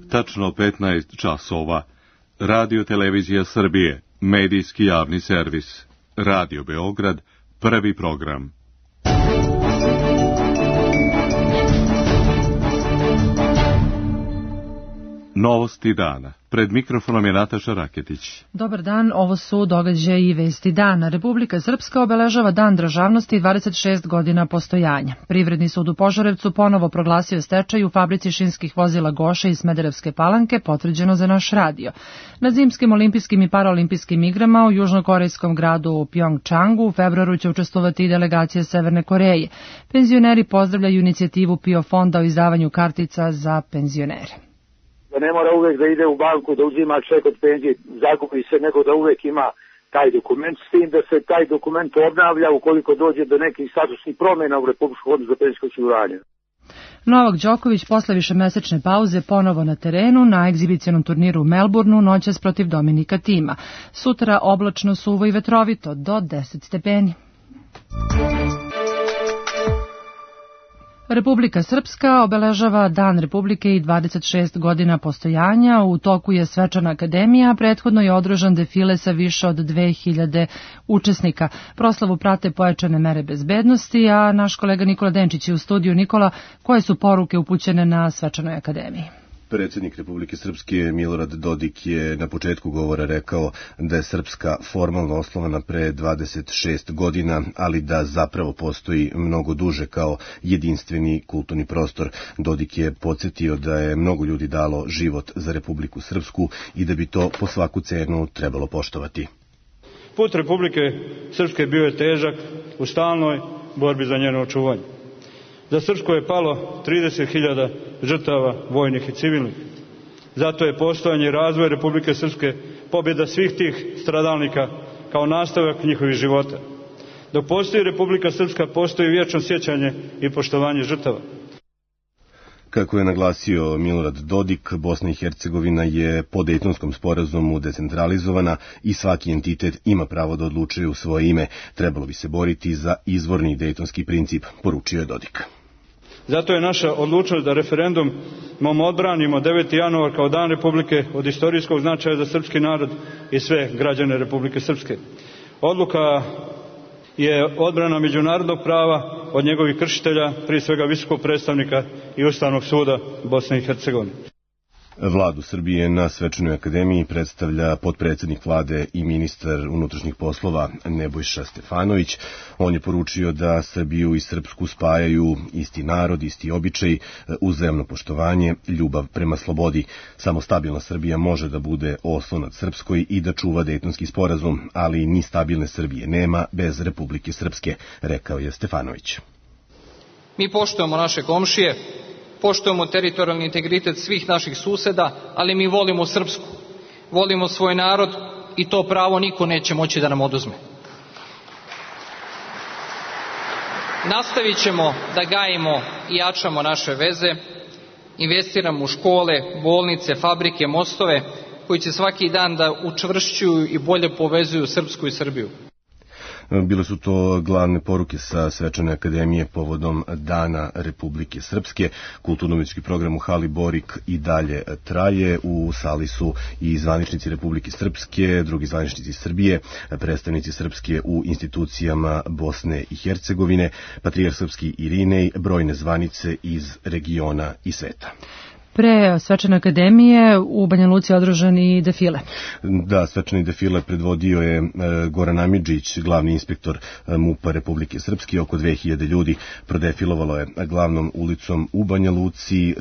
tačno 15 časova. Radio Televizija Srbije, medijski javni servis. Radio Beograd, prvi program. Novosti dana. Pred mikrofonom je Nataša Raketić. Dobar dan, ovo su događaji i vesti dana. Republika Srpska obeležava Dan državnosti 26 godina postojanja. Privredni sud u Požarevcu ponovo proglasio stečaj u fabrici šinskih vozila Goša iz Smederevske Palanke, potvrđeno za naš radio. Na zimskim olimpijskim i paraolimpijskim igrama u južnokorejskom gradu Pjongčangu u februaru će učestvovati i delegacije Severne Koreje. Penzioneri pozdravljaju inicijativu PIO fonda o izdavanju kartica za penzionere. Da ne mora uvek da ide u banku da uzima ček od penzije, zakupi se, nego da uvek ima taj dokument, s tim da se taj dokument obnavlja ukoliko dođe do nekih statusnih promjena u Republičkom fondu za penzijsko osiguranje. Novak Đoković posle višemesečne pauze ponovo na terenu na egzibicionom turniru u Melbourneu noćas protiv Dominika Tima. Sutra oblačno, suvo i vetrovito do 10 stepeni. Republika Srpska obeležava Dan Republike i 26 godina postojanja. U toku je svečana akademija, prethodno je održan defile sa više od 2000 učesnika. Proslavu prate pojačane mere bezbednosti, a naš kolega Nikola Denčić je u studiju. Nikola, koje su poruke upućene na svečanoj akademiji? Predsjednik Republike Srpske Milorad Dodik je na početku govora rekao da je Srpska formalno osnovana pre 26 godina, ali da zapravo postoji mnogo duže kao jedinstveni kulturni prostor. Dodik je podsjetio da je mnogo ljudi dalo život za Republiku Srpsku i da bi to po svaku cenu trebalo poštovati. Put Republike Srpske bio je težak u stalnoj borbi za njeno očuvanje. Za Srpsku je palo 30.000 žrtava vojnih i civilnih. Zato je postojanje i razvoj Republike Srpske pobjeda svih tih stradalnika kao nastavak njihovih života. Dok postoji Republika Srpska, postoji vječno sjećanje i poštovanje žrtava. Kako je naglasio Milorad Dodik, Bosna i Hercegovina je po Dejtonskom sporazumu decentralizovana i svaki entitet ima pravo da odlučuje u svoje ime. Trebalo bi se boriti za izvorni dejtonski princip, poručio je Dodik. Zato je naša odlučnost da referendumom odbranimo 9. januar kao Dan Republike od istorijskog značaja za srpski narod i sve građane Republike Srpske. Odluka je odbrana međunarodnog prava od njegovih kršitelja, prije svega visokog predstavnika i Ustavnog suda Bosne i Hercegovine. Vladu Srbije na svečanoj akademiji predstavlja potpredsjednik vlade i ministar unutrašnjih poslova Nebojša Stefanović. On je poručio da Srbiju i Srpsku spajaju isti narod, isti običaj, uzajamno poštovanje, ljubav prema slobodi. Samo stabilna Srbija može da bude oslonac Srpskoj i da čuva Dejtonski sporazum, ali ni stabilne Srbije nema bez Republike Srpske, rekao je Stefanović. Mi poštujemo naše komšije, poštujemo teritorijalni integritet svih naših suseda, ali mi volimo Srpsku, volimo svoj narod i to pravo niko neće moći da nam oduzme. Nastavit ćemo da gajimo i jačamo naše veze, investiramo u škole, bolnice, fabrike, mostove, koji će svaki dan da učvršćuju i bolje povezuju Srpsku i Srbiju. Bile su to glavne poruke sa svečane akademije povodom Dana Republike Srpske. Kulturno-umjetnički program u hali Borik i dalje traje. U sali su i zvaničnici Republike Srpske, drugi zvaničnici Srbije, predstavnici Srpske u institucijama Bosne i Hercegovine, patrijarh srpski Irinej, brojne zvanice iz regiona i sveta. Pre svečane akademije u Banja Luci održan i defile. Da, svečani defile predvodio je Goran Amidžić, glavni inspektor MUP-a Republike Srpske. Oko 2000 ljudi prodefilovalo je glavnom ulicom u Banja Luci.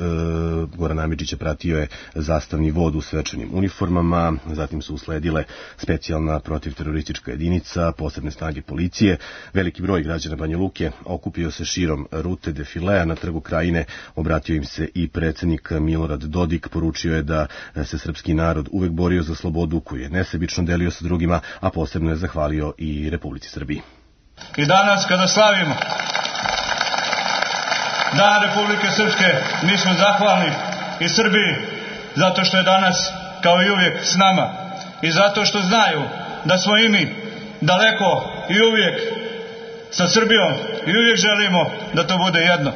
Goran Amidžić pratio je zastavni vod u svečanim uniformama, zatim su usledile specijalna protivteroristička jedinica, posebne snage policije. Veliki broj građana Banja Luke okupio se širom rute defilea. Na Trgu Krajine obratio im se i predsjednik Milorad Dodik, poručio je da se srpski narod uvek borio za slobodu koju je nesebično delio sa drugima, a posebno je zahvalio i Republici Srbiji. I danas kada slavimo Dan Republike Srpske, mi smo zahvalni i Srbiji zato što je danas kao i uvijek s nama i zato što znaju da smo i mi daleko i uvijek sa Srbijom i uvijek želimo da to bude jedno.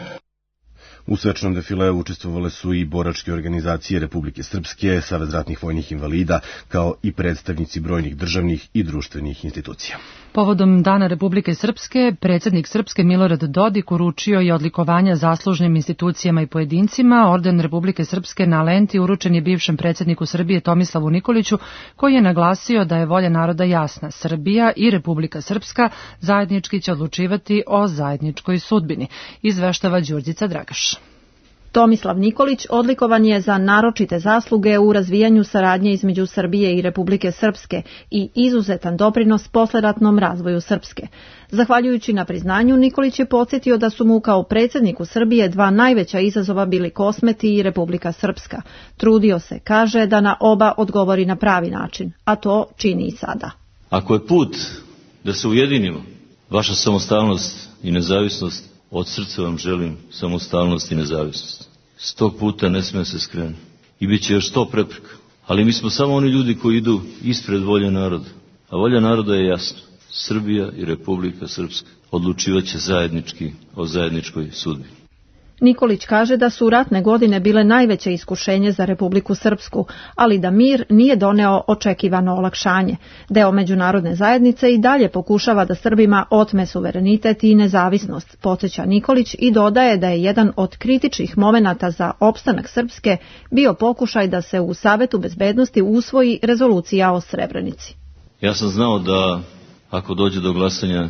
U svečanom defileu učestvovale su i boračke organizacije Republike Srpske, Savez ratnih vojnih invalida, kao i predstavnici brojnih državnih i društvenih institucija. Povodom Dana Republike Srpske, predsjednik Srpske Milorad Dodik uručio je odlikovanja zaslužnim institucijama i pojedincima. Orden Republike Srpske na lenti uručen je bivšem predsjedniku Srbije Tomislavu Nikoliću, koji je naglasio da je volja naroda jasna. Srbija i Republika Srpska zajednički će odlučivati o zajedničkoj sudbini, izveštava Đurđica Dragaš. Tomislav Nikolić odlikovan je za naročite zasluge u razvijanju saradnje između Srbije i Republike Srpske i izuzetan doprinos posleratnom razvoju Srpske. Zahvaljujući na priznanju, Nikolić je podsjetio da su mu kao predsjedniku Srbije dva najveća izazova bili Kosmeti i Republika Srpska. Trudio se, kaže, da na oba odgovori na pravi način, a to čini i sada. Ako je put da se ujedinimo, vaša samostalnost i nezavisnost, od srca vam želim samostalnost i nezavisnost. S tog puta ne smije se skrenuti. I bit će još 100 prepreka. Ali mi smo samo oni ljudi koji idu ispred volje naroda. A volja naroda je jasna. Srbija i Republika Srpska odlučivat će zajednički o zajedničkoj sudbini. Nikolić kaže da su ratne godine bile najveće iskušenje za Republiku Srpsku, ali da mir nije doneo očekivano olakšanje. Deo međunarodne zajednice i dalje pokušava da Srbima otme suverenitet i nezavisnost, podsjeća Nikolić i dodaje da je jedan od kritičnih momenata za opstanak Srpske bio pokušaj da se u Savetu bezbednosti usvoji rezolucija o Srebrenici. Ja sam znao da ako dođe do glasanja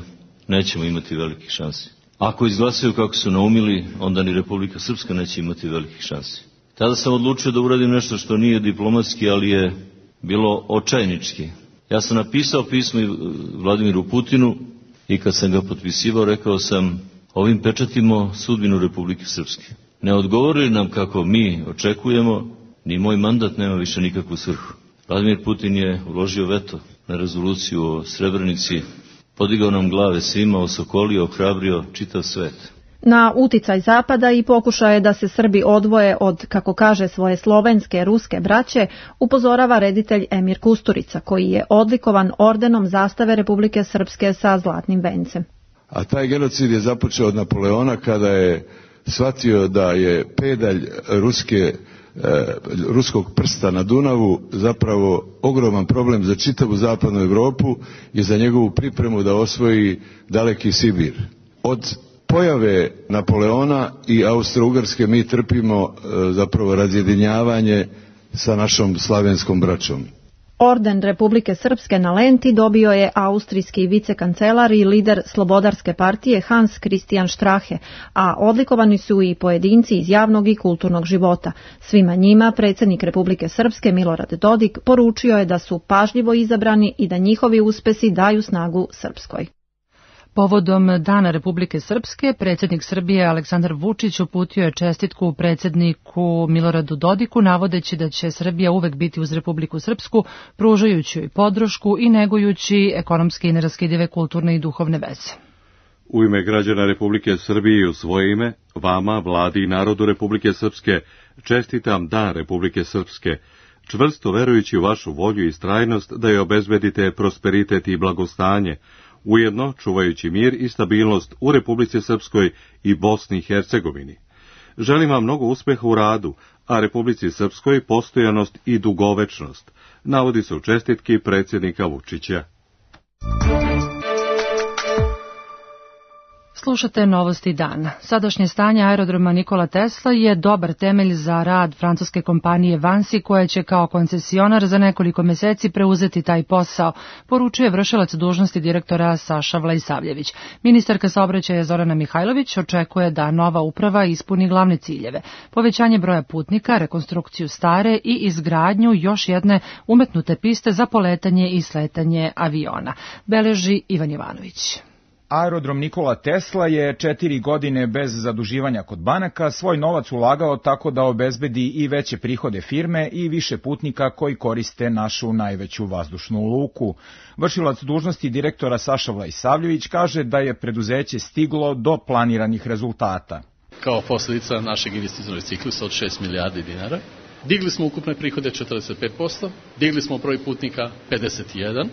nećemo imati velikih šansi. Ako izglasaju kako su naumili, onda ni Republika Srpska neće imati velikih šansi. Tada sam odlučio da uradim nešto što nije diplomatski, ali je bilo očajnički. Ja sam napisao pismo Vladimiru Putinu i kad sam ga potpisivao rekao sam: ovim pečatimo sudbinu Republike Srpske. Ne odgovori nam kako mi očekujemo, ni moj mandat nema više nikakvu svrhu. Vladimir Putin je uložio veto na rezoluciju o Srebrenici, podigao nam glave svima, osokolio, ohrabrio čitav svet. Na uticaj Zapada i pokušaje da se Srbi odvoje od, kako kaže, svoje slovenske, ruske braće, upozorava reditelj Emir Kusturica, koji je odlikovan ordenom zastave Republike Srpske sa zlatnim vencem. A taj genocid je započeo od Napoleona kada je shvatio da je pedalj ruskog prsta na Dunavu zapravo ogroman problem za čitavu zapadnu Evropu i za njegovu pripremu da osvoji daleki Sibir. Od pojave Napoleona i Austro-Ugarske mi trpimo zapravo razjedinjavanje sa našom slavenskom braćom. Orden Republike Srpske na lenti dobio je austrijski vicekancelar i lider Slobodarske partije Hans Christian Strache, a odlikovani su i pojedinci iz javnog i kulturnog života. Svima njima predsjednik Republike Srpske Milorad Dodik poručio je da su pažljivo izabrani i da njihovi uspesi daju snagu Srpskoj. Povodom Dana Republike Srpske, predsjednik Srbije Aleksandar Vučić uputio je čestitku predsjedniku Miloradu Dodiku, navodeći da će Srbija uvek biti uz Republiku Srpsku, pružajući joj podršku i negujući ekonomske i neraskidive kulturne i duhovne veze. U ime građana Republike Srbije i u svoje ime, vama, vladi i narodu Republike Srpske, čestitam Dan Republike Srpske, čvrsto verujući u vašu volju i istrajnost da je obezbedite prosperitet i blagostanje, ujedno čuvajući mir i stabilnost u Republici Srpskoj i Bosni i Hercegovini. Želim vam mnogo uspeha u radu, a Republici Srpskoj postojanost i dugovečnost, navodi se u čestitki predsjednika Vučića. Slušate Novosti dana. Sadašnje stanje aerodroma Nikola Tesla je dobar temelj za rad francuske kompanije Vansi, koja će kao koncesionar za nekoliko meseci preuzeti taj posao, poručuje vršilac dužnosti direktora Saša Vlaisavljević. Ministarka saobraćaja Zorana Mihajlović očekuje da nova uprava ispuni glavne ciljeve: povećanje broja putnika, rekonstrukciju stare i izgradnju još jedne umetnute piste za poletanje i sletanje aviona, beleži Ivan Jovanović. Aerodrom Nikola Tesla je 4 godine bez zaduživanja kod banaka svoj novac ulagao tako da obezbedi i veće prihode firme i više putnika koji koriste našu najveću vazdušnu luku. Vršilac dužnosti direktora Saša Vlaisavljević kaže da je preduzeće stiglo do planiranih rezultata. Kao posljedica našeg investicionog ciklusa od 6 milijardi dinara, digli smo ukupne prihode 45%, digli smo broj putnika 51%,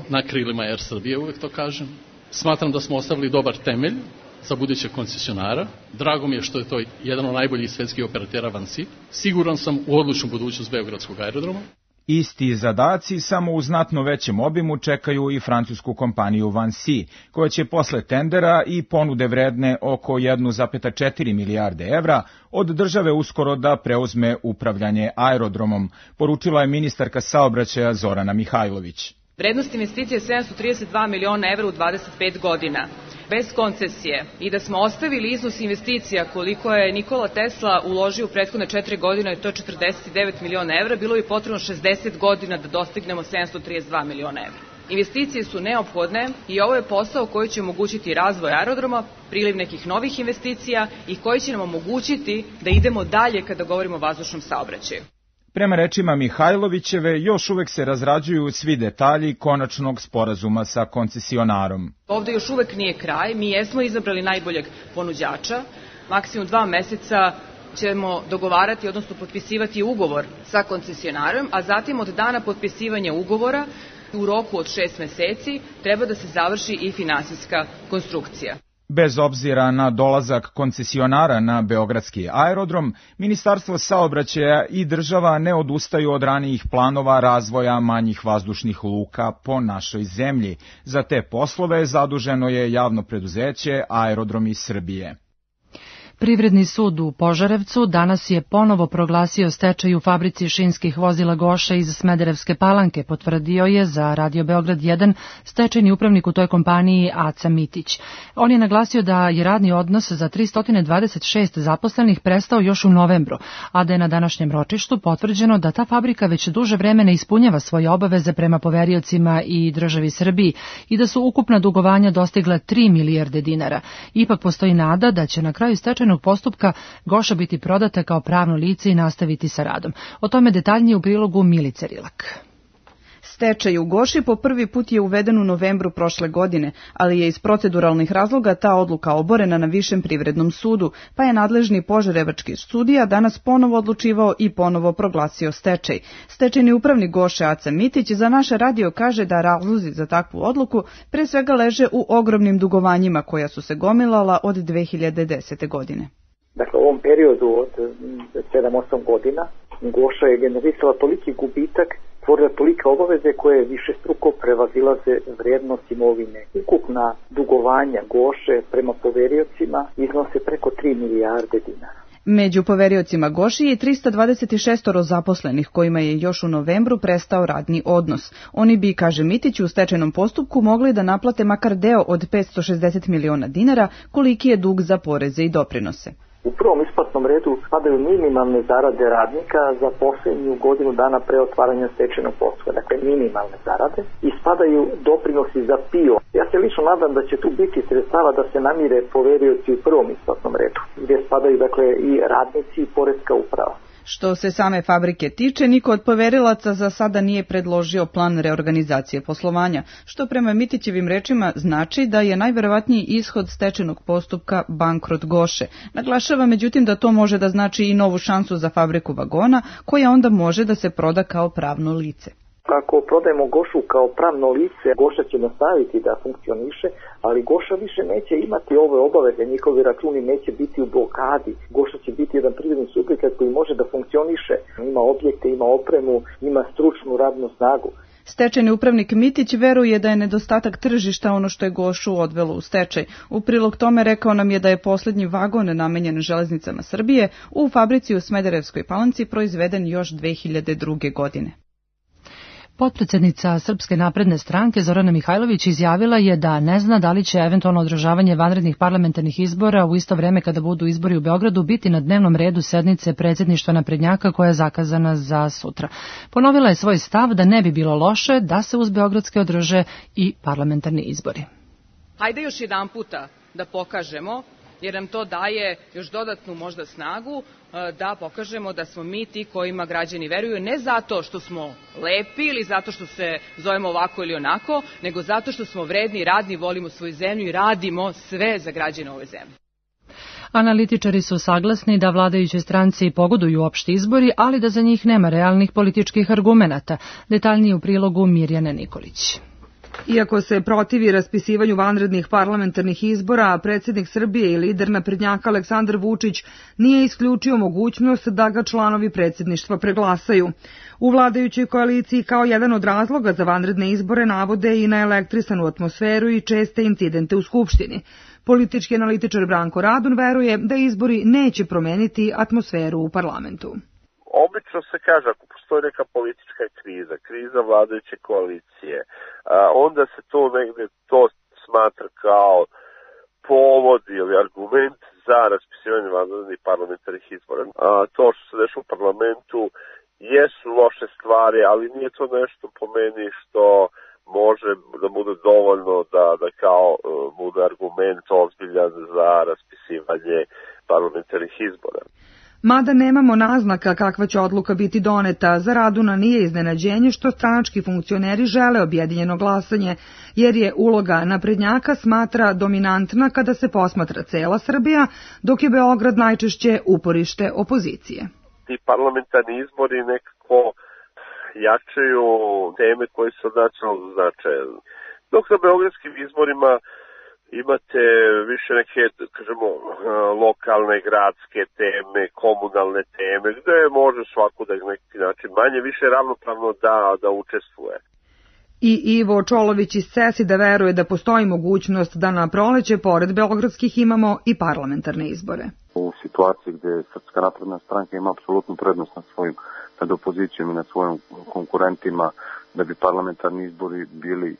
na krilima Air Srbije, uvek to kažem. Smatram da smo ostavili dobar temelj za budućeg koncesionara. Drago mi je što je to jedan od najboljih svetskih operatera Vansi. Siguran sam u odlučnu budućnost Beogradskog aerodroma. Isti zadaci, samo u znatno većem obimu, čekaju i francusku kompaniju Vansi, koja će posle tendera i ponude vredne oko 1,4 milijarde evra od države uskoro da preuzme upravljanje aerodromom, poručila je ministarka saobraćaja Zorana Mihajlović. Vrednost investicije je 732 miliona evra u 25 godina. Bez koncesije i da smo ostavili iznos investicija koliko je Nikola Tesla uložio u prethodne 4 godine, to je 49 miliona evra, bilo bi potrebno 60 godina da dostignemo 732 miliona evra. Investicije su neophodne i ovo je posao koji će omogućiti razvoj aerodroma, priliv nekih novih investicija i koji će nam omogućiti da idemo dalje kada govorimo o vazdušnom saobraćaju. Prema rečima Mihajlovićeve, još uvek se razrađuju svi detalji konačnog sporazuma sa koncesionarom. Ovde još uvek nije kraj, mi jesmo izabrali najboljeg ponuđača, maksimum 2 meseca ćemo dogovarati, odnosno potpisivati ugovor sa koncesionarom, a zatim od dana potpisivanja ugovora u roku od 6 meseci treba da se završi i finansijska konstrukcija. Bez obzira na dolazak koncesionara na beogradski aerodrom, Ministarstvo saobraćaja i država ne odustaju od ranijih planova razvoja manjih vazdušnih luka po našoj zemlji. Za te poslove zaduženo je javno preduzeće Aerodromi Srbije. Privredni sud u Požarevcu danas je ponovo proglasio stečaj u fabrici šinskih vozila Goše iz Smederevske Palanke, potvrdio je za Radio Beograd 1 stečajni upravnik u toj kompaniji Aca Mitić. On je naglasio da je radni odnos za 326 zaposlenih prestao još u novembru, a da je na današnjem ročištu potvrđeno da ta fabrika već duže vreme ne ispunjava svoje obaveze prema poveriocima i državi Srbiji i da su ukupna dugovanja dostigla 3 milijarde dinara. Ipak postoji nada da će na kraju stečajnog postupka Goša biti prodata kao pravno lice i nastaviti sa radom. O tome detaljnije u prilogu Milice Rilak. Stečaj u Goši po prvi put je uveden u novembru prošle godine, ali je iz proceduralnih razloga ta odluka oborena na Višem privrednom sudu, pa je nadležni požarevački sudija danas ponovo odlučivao i ponovo proglasio stečaj. Stečajni upravnik Goše Aca Mitić za naš radio kaže da razlozi za takvu odluku pre svega leže u ogromnim dugovanjima koja su se gomilala od 2010. godine. Dakle, u ovom periodu od 7-8 godina Goša je generisala toliki gubitak, stvorila tolike obaveze koje višestruko prevazilaze vrednost imovine. Ukupna dugovanja Goše prema poveriocima iznose preko 3 milijarde dinara. Među poveriocima Goši je 326 zaposlenih kojima je još u novembru prestao radni odnos. Oni bi, kaže Mitić, u stečajnom postupku mogli da naplate makar deo od 560 miliona dinara koliki je dug za poreze i doprinose. U prvom isplatnom redu spadaju minimalne zarade radnika za posljednju godinu dana pre otvaranja stečajnog postupka, dakle minimalne zarade, i spadaju doprinosi za PIO. Ja se lično nadam da će tu biti sredstava da se namire poverioci u prvom isplatnom redu, gdje spadaju dakle i radnici i poreska uprava. Što se same fabrike tiče, niko od poverilaca za sada nije predložio plan reorganizacije poslovanja, što prema Mitićevim rečima znači da je najverovatniji ishod stečajnog postupka bankrot Goše. Naglašava međutim da to može da znači i novu šansu za fabriku vagona, koja onda može da se proda kao pravno lice. Ako prodajemo Gošu kao pravno lice, Goša će nastaviti da funkcioniše, ali Goša više neće imati ove obaveze, njihovi računi neće biti u blokadi. Goša će biti jedan privredni subjekat koji može da funkcioniše, ima objekte, ima opremu, ima stručnu radnu snagu. Stečajni upravnik Mitić veruje da je nedostatak tržišta ono što je Gošu odvelo u stečaj. U prilog tome rekao nam je da je posljednji vagon namenjen Železnicama Srbije u fabrici u Smederevskoj Palanci proizveden još 2002. godine. Potpredsednica Srpske napredne stranke Zorana Mihajlović izjavila je da ne zna da li će eventualno održavanje vanrednih parlamentarnih izbora u isto vreme kada budu izbori u Beogradu biti na dnevnom redu sednice predsjedništva naprednjaka koja je zakazana za sutra. Ponovila je svoj stav da ne bi bilo loše da se uz beogradske održe i parlamentarni izbori. Hajde još jedan puta da pokažemo, jer nam to daje još dodatnu možda snagu da pokažemo da smo mi ti kojima građani veruju, ne zato što smo lepi ili zato što se zovemo ovako ili onako, nego zato što smo vredni, radni, volimo svoju zemlju i radimo sve za građane ove zemlje. Analitičari su saglasni da vladajućoj stranci pogoduju opšti izbori, ali da za njih nema realnih političkih argumenata. Detaljnije u prilogu Mirjane Nikolić. Iako se protivi raspisivanju vanrednih parlamentarnih izbora, predsjednik Srbije i lider naprednjaka Aleksandar Vučić nije isključio mogućnost da ga članovi predsjedništva preglasaju. U vladajućoj koaliciji kao jedan od razloga za vanredne izbore navode i naelektrisanu atmosferu i česte incidente u Skupštini. Politički analitičar Branko Radun veruje da izbori neće promeniti atmosferu u parlamentu. Obično se kaže, ako postoji neka politička kriza vladajuće koalicije, onda se to negde smatra kao povod ili argument za raspisivanje vanrednih parlamentarnih izbora. To što se dešava u parlamentu jesu loše stvari, ali nije to nešto po meni što može da bude dovoljno da kao bude argument ozbiljan za raspisivanje parlamentarnih izbora. Mada nemamo naznaka kakva će odluka biti doneta, za Raduna nije iznenađenje što stranački funkcioneri žele objedinjeno glasanje, jer je uloga naprednjaka smatra dominantna kada se posmatra cela Srbija, dok je Beograd najčešće uporište opozicije. Ti parlamentarni izbori nekako jačaju teme koje su od nacionalnog značaja. Dok na beogradskim izborima imate više neke, kažemo, lokalne, gradske teme, komunalne teme, gde može svako da na neki način manje više ravnopravno da učestvuje. I Ivo Čolović iz CESID-a veruje da postoji mogućnost da na proleće, pored beogradskih, imamo i parlamentarne izbore. U situaciji gde Srpska napredna stranka ima apsolutnu prednost nad opozicijom i nad svojim konkurentima, da bi parlamentarni izbori bili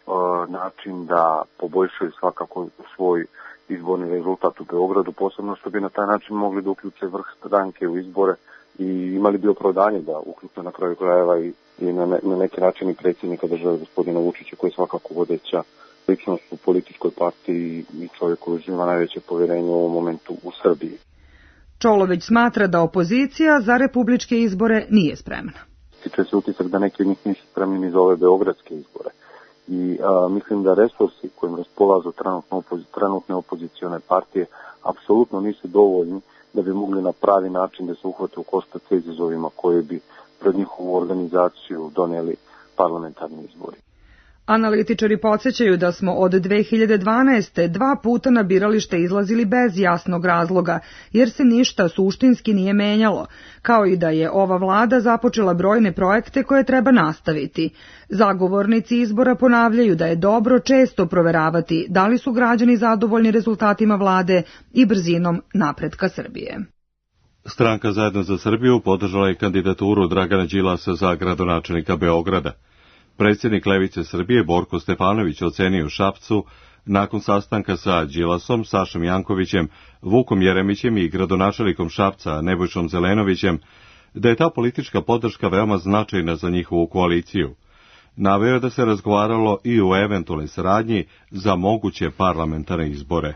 način da poboljšaju svakako svoj izborni rezultat u Beogradu, posebno što bi na taj način mogli da uključe vrh stranke u izbore i imali bi opravdanje da uključe na kraju krajeva i na neki način i predsjednika države gospodina Vučića, koji je svakako vodeća ličnost u političkoj partiji i čovjek koji uživa najveće povjerenje u ovom momentu u Srbiji. Čolović smatra da opozicija za republičke izbore nije spremna. Stiče se utisak da neki od njih nisu spremni ni za ove beogradske izbore. I mislim da resursi kojim raspolažu trenutne opozicione partije apsolutno nisu dovoljni da bi mogli na pravi način da se uhvate u koštac sa izazovima koje bi pred njihovu organizaciju doneli parlamentarni izbori. Analitičari podsjećaju da smo od 2012. 2 puta na biralište izlazili bez jasnog razloga, jer se ništa suštinski nije menjalo, kao i da je ova vlada započela brojne projekte koje treba nastaviti. Zagovornici izbora ponavljaju da je dobro često proveravati da li su građani zadovoljni rezultatima vlade i brzinom napretka Srbije. Stranka Zajedno za Srbiju podržala je kandidaturu Dragana Đilasa za gradonačelnika Beograda. Predsjednik Levice Srbije Borko Stefanović ocenio u Šapcu, nakon sastanka sa Đilasom, Sašom Jankovićem, Vukom Jeremićem i gradonačelnikom Šapca Nebojšom Zelenovićem, da je ta politička podrška veoma značajna za njihovu koaliciju. Naveo je da se razgovaralo i o eventualnoj saradnji za moguće parlamentarne izbore.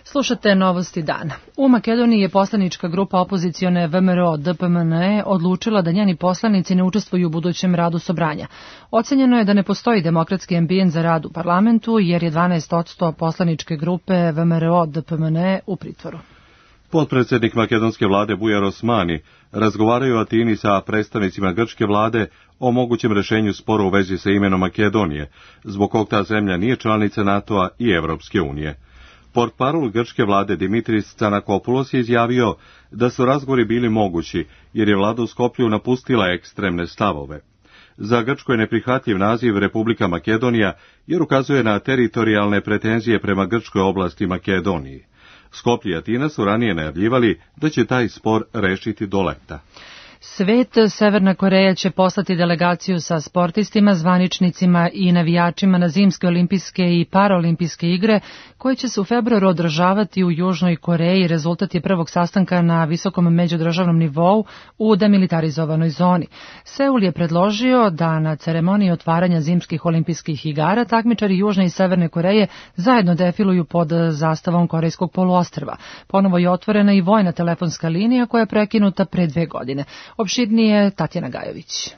Slušate novosti dana. U Makedoniji je poslanička grupa opozicione VMRO DPMNE odlučila da njeni poslanici ne učestvuju u budućem radu Sobranja. Ocenjeno je da ne postoji demokratski ambijent za rad u parlamentu, jer je 12% poslaničke grupe VMRO DPMNE u pritvoru. Potpredsjednik makedonske vlade Bujar Osmani razgovaraju u Atini sa predstavnicima grčke vlade o mogućem rešenju spora u vezi sa imenom Makedonije, zbog kog ta zemlja nije članica NATO-a i Evropske unije. Portparol grčke vlade Dimitris Tsanakopoulos je izjavio da su razgovori bili mogući, jer je vlada u Skoplju napustila ekstremne stavove. Za Grčko je neprihvatljiv naziv Republika Makedonija, jer ukazuje na teritorijalne pretenzije prema grčkoj oblasti Makedoniji. Skoplje i Atina su ranije najavljivali da će taj spor rešiti do leta. Svet, Severna Koreja će poslati delegaciju sa sportistima, zvaničnicima i navijačima na zimske olimpijske i paraolimpijske igre, koje će se u februaru održavati u Južnoj Koreji. Rezultat je prvog sastanka na visokom međudržavnom nivou u demilitarizovanoj zoni. Seul je predložio da na ceremoniji otvaranja zimskih olimpijskih igara takmičari Južne i Severne Koreje zajedno defiluju pod zastavom Korejskog poluostrva. Ponovo je otvorena i vojna telefonska linija koja je prekinuta pre 2 godine. Opširnije Tatjana Gajović.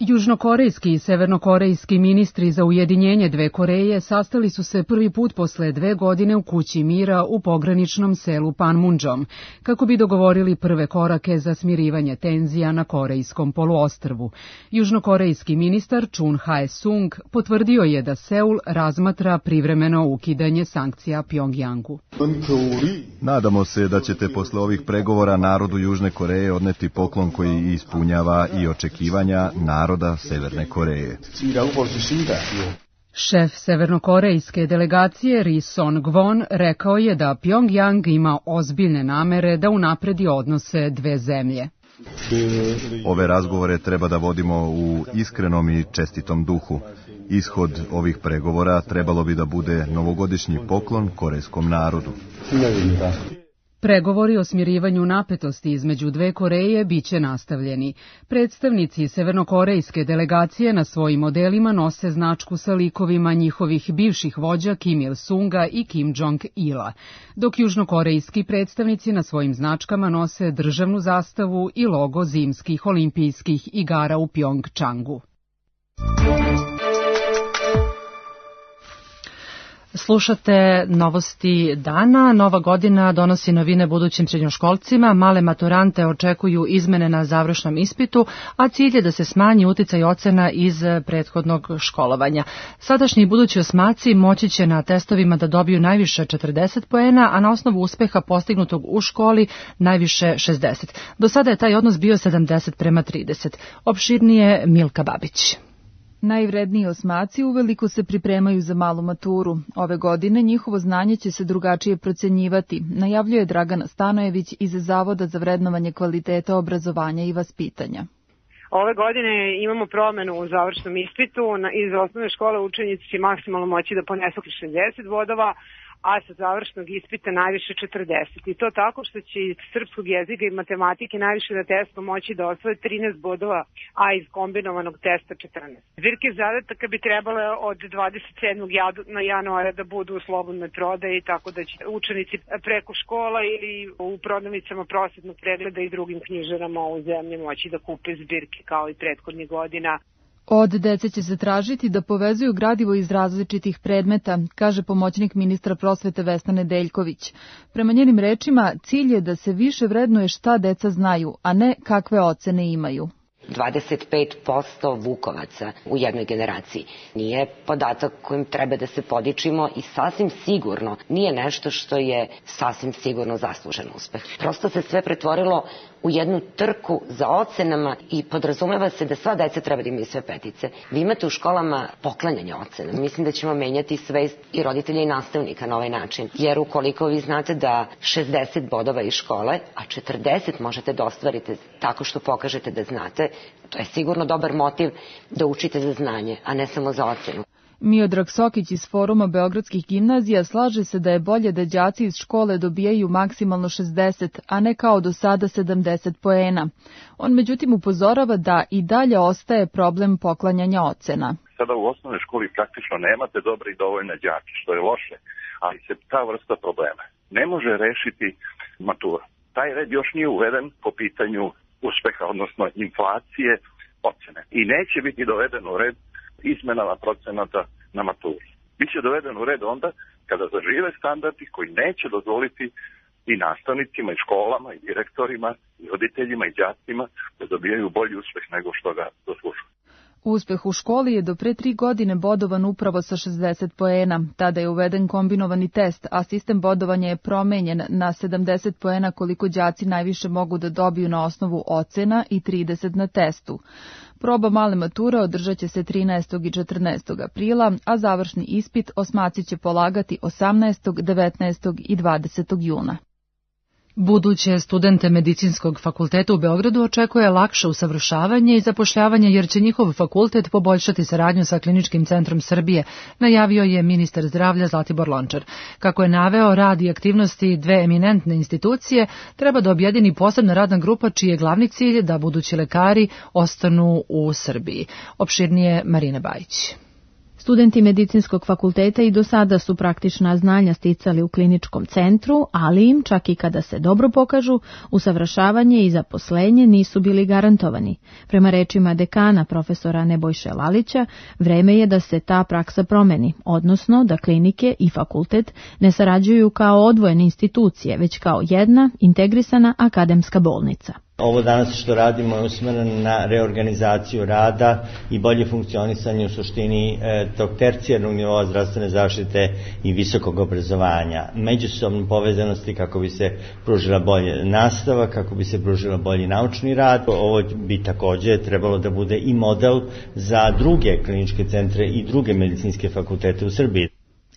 Južnokorejski i severnokorejski ministri za ujedinjenje dve Koreje sastali su se prvi put posle 2 godine u kući mira u pograničnom selu Panmunjom, kako bi dogovorili prve korake za smirivanje tenzija na Korejskom poluostrvu. Južnokorejski ministar Chun Hae-sung potvrdio je da Seul razmatra privremeno ukidanje sankcija Pjongjangu. Nadamo se da ćete posle ovih pregovora narodu Južne Koreje odneti poklon koji ispunjava i očekivanja naroda Severne Koreje. Šef severnokorejske delegacije Ri Son-gvon rekao je da Pjongjang ima ozbiljne namere da unapredi odnose dve zemlje. Ove razgovore treba da vodimo u iskrenom i čestitom duhu. Ishod ovih pregovora trebalo bi da bude novogodišnji poklon korejskom narodu. Pregovori o smirivanju napetosti između dve Koreje biće nastavljeni. Predstavnici severnokorejske delegacije na svojim modelima nose značku sa likovima njihovih bivših vođa Kim Il-sunga i Kim Jong-ila, dok južnokorejski predstavnici na svojim značkama nose državnu zastavu i logo zimskih olimpijskih igara u Pjongčangu. Slušate novosti dana. Nova godina donosi novine budućim srednjoškolcima, male maturante očekuju izmene na završnom ispitu, a cilj je da se smanji uticaj ocena iz prethodnog školovanja. Sadašnji i budući osmaci moći će na testovima da dobiju najviše 40 poena, a na osnovu uspeha postignutog u školi najviše 60. Do sada je taj odnos bio 70:30. Opširnije Milka Babić. Najvredniji osmaci uveliko se pripremaju za malu maturu. Ove godine njihovo znanje će se drugačije procenjivati, najavljuje Dragana Stanojević iz Zavoda za vrednovanje kvaliteta obrazovanja i vaspitanja. Ove godine imamo promenu u završnom ispitu. Iz osnovne škole učenici će maksimalno moći da ponesu 60 bodova, a sa završnog ispita najviše 40. I to tako što će iz srpskog jezika i matematike najviše na testu moći da osvoje 13 bodova, a iz kombinovanog testa 14. Zbirke zadataka bi trebale od 27. januara da budu u slobodnoj prodaji, tako da će učenici preko škola ili u prodavnicama prosvetnog pregleda i drugim knjižarama u zemlji moći da kupe zbirke kao i prethodnih godina. Od dece će se tražiti da povezuju gradivo iz različitih predmeta, kaže pomoćnik ministra prosvete Vesna Nedeljković. Prema njenim rečima, cilj je da se više vrednuje šta deca znaju, a ne kakve ocene imaju. 25% vukovaca u jednoj generaciji. Nije podatak kojim treba da se podičimo i sasvim sigurno nije nešto što je sasvim sigurno zaslužen uspeh. Prosto se sve pretvorilo u jednu trku za ocenama i podrazumeva se da sva deca treba da imaju sve petice. Vi imate u školama poklanjanje ocena. Mislim da ćemo menjati svest i roditelja i nastavnika na ovaj način. Jer ukoliko vi znate da 60 bodova iz škole, a 40 možete da ostvarite tako što pokažete da znate, to je sigurno dobar motiv da učite za znanje, a ne samo za ocenu. Miodrag Sokić iz Foruma Beogradskih gimnazija slaže se da je bolje da đaci iz škole dobijaju maksimalno 60, a ne kao do sada 70 poena. On međutim upozorava da i dalje ostaje problem poklanjanja ocena. Sada u osnovnoj školi praktično nemate dobre i dovoljne đake, što je loše, ali se ta vrsta problema ne može rešiti matura. Taj red još nije uveden po pitanju uspeha, odnosno inflacije ocene. I neće biti doveden u red izmenama procenata na maturi. Biće doveden u red onda kada zažive standardi koji neće dozvoliti i nastavnicima, i školama, i direktorima, i roditeljima, i đacima da dobijaju bolji uspeh nego što ga zaslužuju. Uspeh u školi je do pre 3 godine bodovan upravo sa 60 poena. Tada je uveden kombinovani test, a sistem bodovanja je promenjen na 70 poena koliko đaci najviše mogu da dobiju na osnovu ocena i 30 na testu. Proba male mature održat će se 13. i 14. aprila, a završni ispit osmaci će polagati 18., 19. i 20. juna. Buduće studente Medicinskog fakulteta u Beogradu očekuje lakše usavršavanje i zapošljavanje jer će njihov fakultet poboljšati saradnju sa Kliničkim centrom Srbije, najavio je ministar zdravlja Zlatibor Lončar. Kako je naveo, rad i aktivnosti dve eminentne institucije treba da objedini posebna radna grupa čiji je glavni cilj da budući lekari ostanu u Srbiji. Opširnije Marina Bajić. Studenti medicinskog fakulteta i do sada su praktična znanja sticali u kliničkom centru, ali im, čak i kada se dobro pokažu, usavršavanje i zaposlenje nisu bili garantovani. Prema rečima dekana profesora Nebojše Lalića, vreme je da se ta praksa promeni, odnosno da klinike i fakultet ne sarađuju kao odvojene institucije, već kao jedna integrisana akademska bolnica. Ovo danas što radimo je usmjereno na reorganizaciju rada i bolje funkcionisanje u suštini tog tercijarnog nivoa zdravstvene zaštite i visokog obrazovanja. Međusobne povezanosti kako bi se pružila bolje nastava, kako bi se pružila bolji naučni rad. Ovo bi također trebalo da bude i model za druge kliničke centre i druge medicinske fakultete u Srbiji.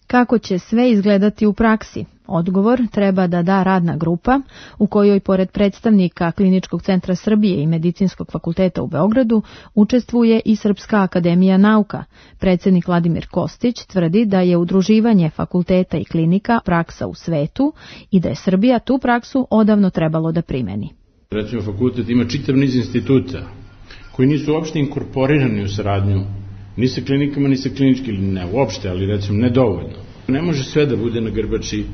Kako će sve izgledati u praksi? Odgovor treba da da radna grupa u kojoj pored predstavnika Kliničkog centra Srbije i Medicinskog fakulteta u Beogradu učestvuje i Srpska akademija nauka. Predsjednik Vladimir Kostić tvrdi da je udruživanje fakulteta i klinika praksa u svetu i da je Srbija tu praksu odavno trebalo da primeni. Recimo, fakultet ima čitav niz instituta koji nisu uopšte inkorporirani u saradnju ni sa klinikama, ni sa klinički, ili ne uopšte, ali recimo nedovoljno. Ne može sve da bude na grbači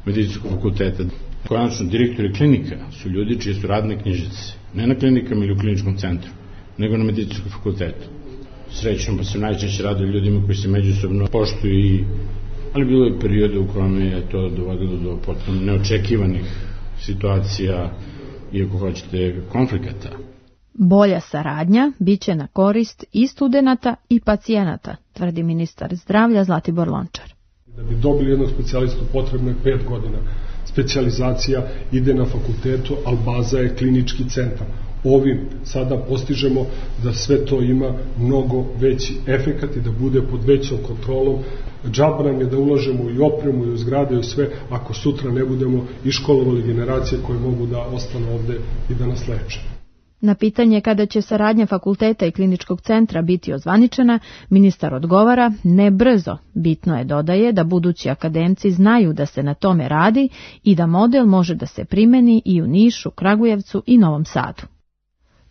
medicinskog fakulteta. Konačno, direktori klinika su ljudi čije su radne knjižice. Ne na klinikama ili u kliničkom centru, nego na medicinskom fakultetu. Srećno pa se najčešće radi ljudima koji se međusobno poštuju, ali bilo je perioda u kojima je to dovodilo do potpuno neočekivanih situacija i, ako hoćete, konflikata. Bolja saradnja biće na korist i studenata i pacijenata, tvrdi ministar zdravlja Zlatibor Lončar. Da bi dobili jednog specijalistu potrebno je 5 godina. Specijalizacija ide na fakultetu, ali baza je klinički centar. Ovim sada postižemo da sve to ima mnogo veći efekat i da bude pod većom kontrolom. Džaba nam je da ulažemo i opremu i u zgrade i u sve, ako sutra ne budemo iškolovali generacije koje mogu da ostanu ovde i da nas leče. Na pitanje kada će saradnja fakulteta i kliničkog centra biti ozvaničena, ministar odgovara ne brzo. Bitno je, dodaje, da budući akademci znaju da se na tome radi i da model može da se primeni i u Nišu, Kragujevcu i Novom Sadu.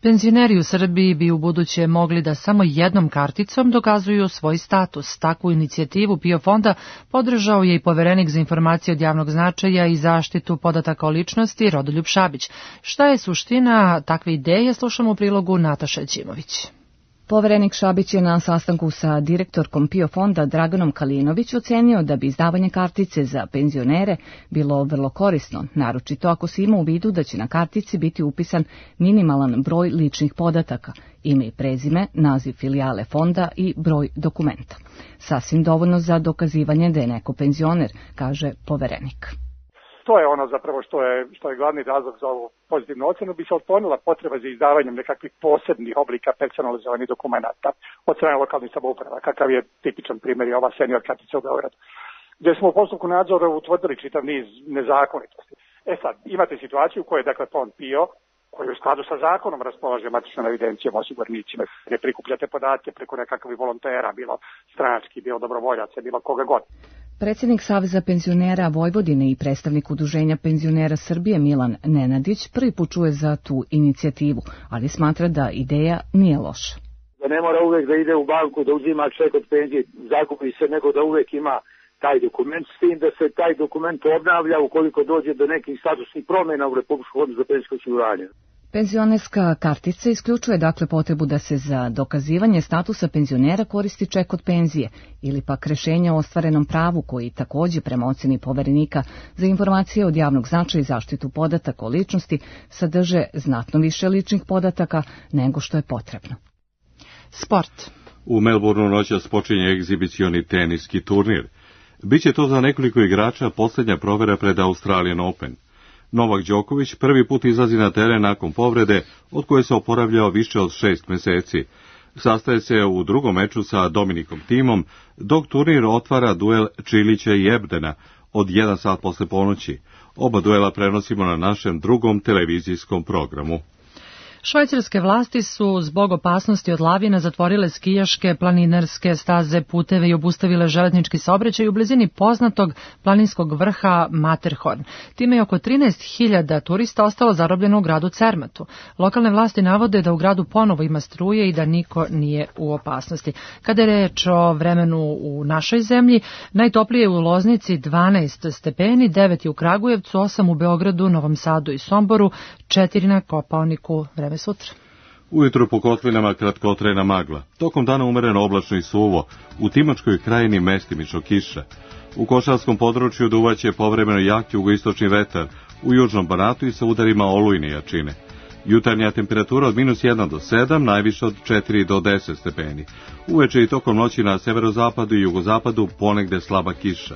Penzioneri u Srbiji bi u buduće mogli da samo jednom karticom dokazuju svoj status. Takvu inicijativu PIO fonda podržao je i poverenik za informacije od javnog značaja i zaštitu podataka o ličnosti Rodoljub Šabić. Šta je suština takve ideje, slušamo u prilogu Nataša Ćimović. Poverenik Šabić je na sastanku sa direktorkom PIO fonda Draganom Kalinović ocenio da bi izdavanje kartice za penzionere bilo vrlo korisno, naročito ako se ima u vidu da će na kartici biti upisan minimalan broj ličnih podataka, ime i prezime, naziv filijale fonda i broj dokumenta. Sasvim dovoljno za dokazivanje da je neko penzioner, kaže poverenik. To je ono zapravo što je glavni razlog za ovu pozitivnu ocenu, bi se otklonila potreba za izdavanjem nekakvih posebnih oblika personalizovanih dokumenata od strane lokalnih samouprava, kakav je tipičan primjer i ova senior kartica u Beogradu, gdje smo u postupku nadzora utvrdili čitav niz nezakonitosti. Sad, imate situaciju u kojoj je, dakle, fond PIO, koji u skladu sa zakonom raspolaže matičnom evidencijom osiguranicima, gdje prikupljate podatke preko nekakvih volontera, bilo stranački, bilo dobrovoljaca, bilo koga god. Predsjednik Saveza penzionera Vojvodine i predstavnik Udruženja penzionera Srbije Milan Nenadić prvi put čuje za tu inicijativu, ali smatra da ideja nije loša. Da ne mora uvek da ide u banku, da uzima ček od penzije, zakupi se, nego da uvek ima taj dokument, s tim da se taj dokument obnavlja ukoliko dođe do nekih statusnih promjena u Republičkom fondu za penzijsko osiguranje. Penzionerska kartica isključuje dakle potrebu da se za dokazivanje statusa penzionera koristi ček od penzije ili pak rešenje o ostvarenom pravu koji također prema ocjeni poverenika za informacije od javnog značaja i zaštitu podataka o ličnosti sadrže znatno više ličnih podataka nego što je potrebno. Sport. U Melbourneu noćas počinje egzibicioni teniski turnir. Biće to za nekoliko igrača posljednja provera pred Australian Open. Novak Đoković prvi put izlazi na teren nakon povrede, od koje se oporavljao više od 6 meseci. Sastaje se u drugom meču sa Dominikom Thimom, dok turnir otvara duel Čilića i Ebdena od 1 sat posle ponoći. Oba duela prenosimo na našem drugom televizijskom programu. Švajcarske vlasti su zbog opasnosti od lavina zatvorile skijaške, planinarske staze, puteve i obustavile železnički saobraćaj u blizini poznatog planinskog vrha Matterhorn. Time je oko 13.000 turista ostalo zarobljeno u gradu Cermatu. Lokalne vlasti navode da u gradu ponovo ima struje i da niko nije u opasnosti. Kada je reč o vremenu u našoj zemlji, najtoplije je u Loznici 12 stepeni, 9 je u Kragujevcu, 8 u Beogradu, Novom Sadu i Somboru, 4 na Kopaoniku. Vreme sutra. Ujutro po kotlinama kratkotrajna magla. Tokom dana umereno oblačno i suvo. U Timočkoj krajini mestimično kiša. U Košarskom području duvaće povremeno jak jugoistočni vetar. U južnom Banatu i sa udarima olujne jačine. Jutarnja temperatura od -1 do 7, najviše od 4 do 10 stepeni. Uveče i tokom noći na severozapadu i jugozapadu ponegde slaba kiša.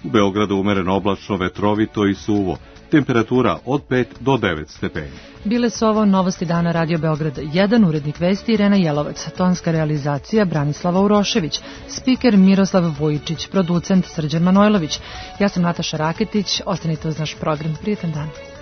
U Beogradu umereno oblačno, vetrovito i suvo. Temperatura od 5 do 9 stepeni. Bile su ovo novosti dana Radio Beograd 1, urednik vesti Irena Jelovac, tonska realizacija Branislava Urošević, spiker Miroslav Vujičić, producent Srđan Manojlović. Ja sam Nataša Raketić, ostanite uz naš program. Prijetan dan.